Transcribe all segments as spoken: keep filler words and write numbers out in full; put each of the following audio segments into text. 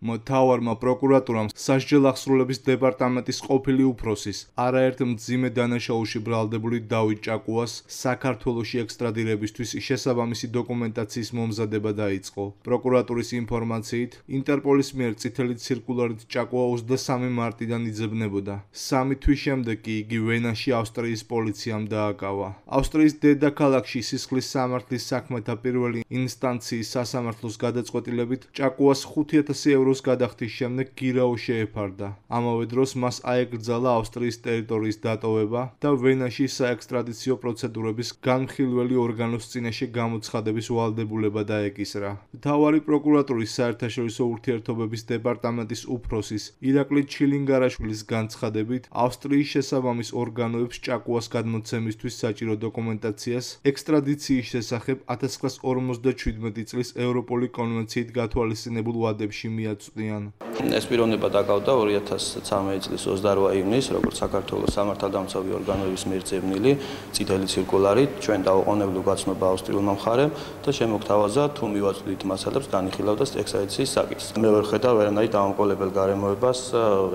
მთავარმა პროკურატურამ სასჯელ აღსრულების დეპარტამენტის ყოფილი უფროსის, არაერთ მძიმე დანაშაულში ბრალდებული დავით ჭაკუას საქართველოში ექსტრადირებისთვის შესაბამისი დოკუმენტაციის მომზადება დაიწყო. პროკურატურის ინფორმაციით, ინტერპოლის მიერ წითელი ცირკულარით ჭაკუა ოცდასამი მარტიდან იძებნებოდა. სამი თვის შემდეგ კი იგი ვენაში ავსტრიის პოლიციამ დააკავა. ავსტრიის დედაქალაქში სისხლის სამართლის საქმეთა პირველი ინსტანციის სასამართლოს გადაწყვეტილებით ჭაკუას ხუთი ათასი ევროს გადახდის შემდეგ გირაო შეეფარდა. ამავე დროს მას აეკრძალა ავსტრიის ტერიტორიის დატოვება და ვენაში საექსტრადიციო პროცედურების განხილველი ორგანოს წინაშე გამოცხადების ვალდებულება დაეკისრა. მთავარი პროკურატურის საერთაშორისო ურთიერთობების დეპარტამენტის უფროსის ირაკლი ჩილინგარაშვილის განცხადებით, ავსტრიის შესაბამის ორგანოებს ჭაკუას გადმოცემისთვის საჭირო დოკუმენტაციას ექსტრადიციის შესახებ ათას ცხრაას ორმოცდაჩვიდმეტი წლის ევროპული კონვენციით გათვალისწინებულ ვადებში მიაწვდიან. ეს პიროვნება დაკავდა ორი ათას ცხრამეტი წლის ოცდაორი ივნისს, როგორც საქართველოს სამართალდამცავი ორგანოების მიერ ძებნილი წითელი ცირკულარით ჩვენ დავუყოვნებლივ გაცნობა ავსტრიულმა მხარემ და შემოგთავაზა თუ მივაწვდით მასალებს განიხილავდა ექსტრადიციის საკითხს. მე ვერ ხედავ ვერანაირ დამამკოლებელ გარემოებას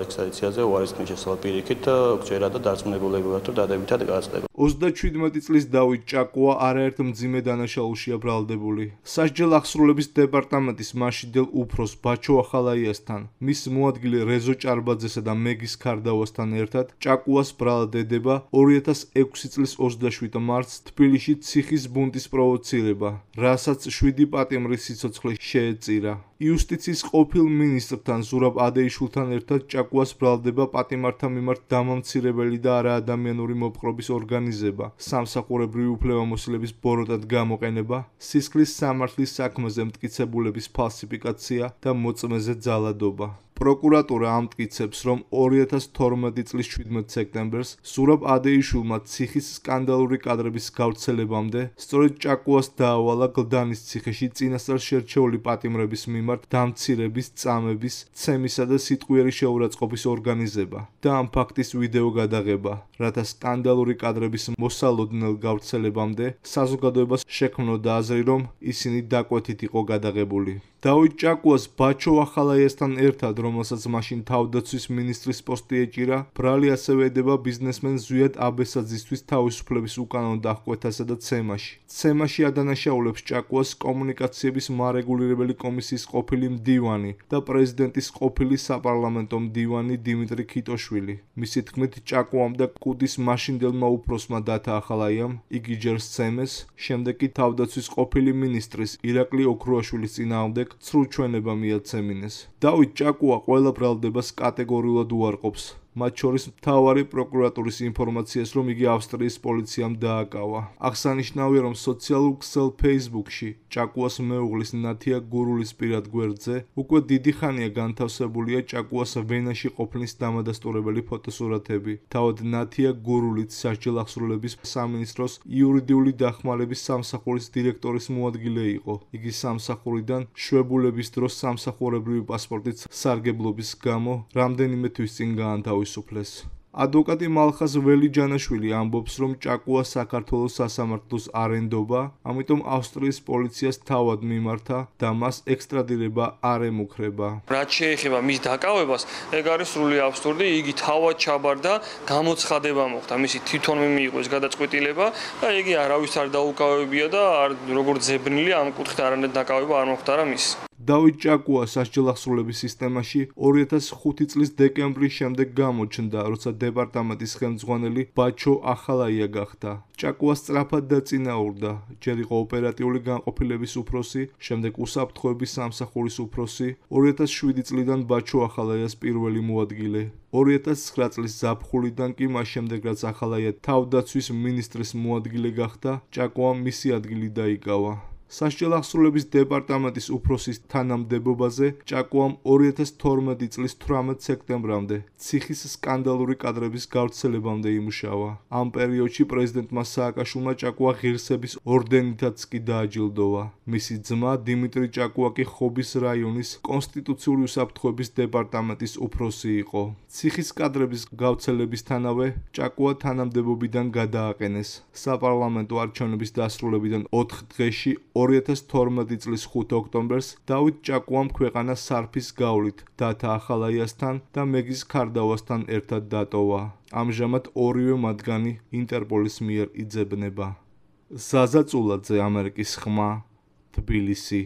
ექსტრადიციაზე უარისქნის შესაძლებლად პირიქით გჯერა და დარწმუნებულებად რომ დადებითად გაწდება. ოცდაჩვიდმეტი წლის დავით ჭაკუა არაერთ მძიმე დანაშაულშია ბრალდებული. სასჯელ აღსრულების დეპარტამენტის მაშინდელ უფროს ბაჩო ახალაიასთან, მის მოადგილე რეზო ჭარბაძესა და მეგის ქარდავასთან ერთად ჭაკუას ბრალდება ორი ათას ექვსი წლის ოცდაშვიდ მარტს თბილისში ციხის ბუნტის პროვოცირება, რასაც შვიდი პატიმრის სიცოცხლე შეეწირა. იუსტიციის ყოფილ მინისტრთან ზურაბ ადეიშვილთან ერთად ჭაკუას ბრალდება პატიმართა მიმართ დამამცირებელი და არაადამიანური მოპყრობის ორგანიზება, სამსახურებრივი უფლებამოსილების ბოროტად გამოყენება, სისხლის სამართლის საქმეზე მტკიცებულების ფალსიფიკაცია და მოწმეზე ძალადობა. პროკურატურა ამტკიცებს, რომ ორი ათას თორმეტი წლის შვიდმეტ სექტემბერს ზურაბ ადეიშვილმა ციხის სკანდალური კადრების გავრცელებამდე სწორედ ჭაკუას დაავალა გლდანის ციხეში წინასწარ შერჩეული პატიმრების მიმართ დამცირების, წამების, ცემისა და სიტყვიერი შეურაცხყოფის ორგანიზება და ამ ფაქტის ვიდეო გადაღება, რათა სკანდალური კადრების მოსალოდნელ გავრცელებამდე საზოგადოებას შექმნოდა აზრი, რომ ისინი დაკვეთით იყო გადაღებული. დავით ჭაკუას ბაჩო ახალაიასთან ერთად, რომელსაც მაშინ თავდაცვის მინისტრის პოსტი ეჭირა, ბრალი ასევე ედება ბიზნესმენ ზვიად აბესაძისთვის თავისუფლების უკანონო დახკვეთასა და ცემაში. ცემაში ადანაშაულებს ჭაკუას კომუნიკაციების მარეგულირებელი კომისიის ყოფილი მდივანი და პრეზიდენტის ყოფილი საპარლამენტო მდივანი დიმიტრი ქიტოშვილი. მისი თქმით, ჭაკუამ და კუდის მაშინდელმა უფროსმა დათა ახალაიამ იგი ჯერ სცემეს, შემდეგ კი თავდაცვის ყოფილი მინისტრის ირაკლი ოქრუაშვილის წინააღმდეგ ცრუ ჩვენება მიაცემინეს. დავით ჭაკუა ყველა ბრალდებას კატეგორიულად უარყოფს, მათ შორის მთავარი პროკურატურის ინფორმაციას, რომ იგი ავსტრიის პოლიციამ დააკავა. აღსანიშნავია, რომ სოციალურ ქსელ Facebook-ში ჭაკუას მეუღლის ნათია გურულის პირად გვერდზე უკვე დიდი ხანია განთავსებულია ჭაკუას ვენაში ყოფნის დამადასტურებელი ფოტოსურათები. თავად ნათია გურულიც სასჯელ აღსრულების სამინისტროს იურიდიული დახმარების სამსახურის დირექტორის მოადგილე იყო. იგი სამსახურიდან შვებულების დროს სამსახურებრივი პასპორტით სარგებლობის გამო რამდენიმე თვის წინ გაანთავისუფლეს. ადვოკატი მალხაზ ველიჯანაშვილი ამბობს, რომ ჭაკუა საქართველოს სასამართლოს არ ენდობა, ამიტომ ავსტრიის პოლიციას თავად მიმართა და მას ექსტრადირება არ ემუქრება. რაც შეეხება მის დაკავებას, ეგ არის სრული აბსურდი, იგი თავად ჩაბარდა, გამოცხადება მოხდა, მისი თვითონვე მიიღო ეს გადაწყვეტილება და იგი არავის არ დაუკავებია და არ როგორც ზებნილი ამ კუთხით არანაირ დაკავება არ მოხდარა მის. დავით ჭაკუა სასჯელ აღსრულების სისტემაში ორი ათას ხუთი წლის დეკემბრის შემდეგ გამოჩნდა, როცა დეპარტამენტის ხელმძღვანელი ბაჩო ახალაია გახდა. ჭაკუა სწრაფად დაწინაურდა, ჯერ იყო ოპერატიული განყოფილების უფროსი, შემდეგ უსაფრთხოების სამსახურის უფროსი, ორი ათას შვიდი წლიდან ბაჩო ახალაიას პირველი მოადგილე. ორი ათას ცხრა წლის ზაფხულიდან კი მას შემდეგ, რაც ახალაია თავდაცვის მინისტრის მოადგილე გახდა, ჭაკუამ მისი ადგილი დაიკავა. სასჯელ აღსრულების დეპარტამენტის უფროსის თანამდებობაზე ჭაკუამ ორი ათას თორმეტი წლის თვრამეტ სექტემბრამდე ციხის სკანდალური კადრების გავრცელებამდე იმუშავა. ამ პერიოდში პრეზიდენტმა სააკაშვილმა ჭაკუა ღირსების ორდენითაც კი დააჯილდოვა. მისი ძმა დიმიტრი ჭაკუა კი ხობის რაიონის კონსტიტუციური უსაფრთხოების დეპარტამენტის უფროსი იყო. ციხის კადრების გავრცელებისთანავე ჭაკუა თანამდებობიდან გადააყენეს. საპარლამენტო არჩევნების დასრულებიდან ოთხ დღეში ორი ათას თორმეტი წლის ხუთი ოქტომბერს დავით ჭაკუამ ქვეყანა სარფის გავლით დათა ახალაიასთან და მეგის ქარდავასთან ერთად დატოვა. ამჟამად ორივე მათგანი ინტერპოლის მიერ იძებნება. ზაზა წულაძე, ამერიკის ხმა, თბილისი.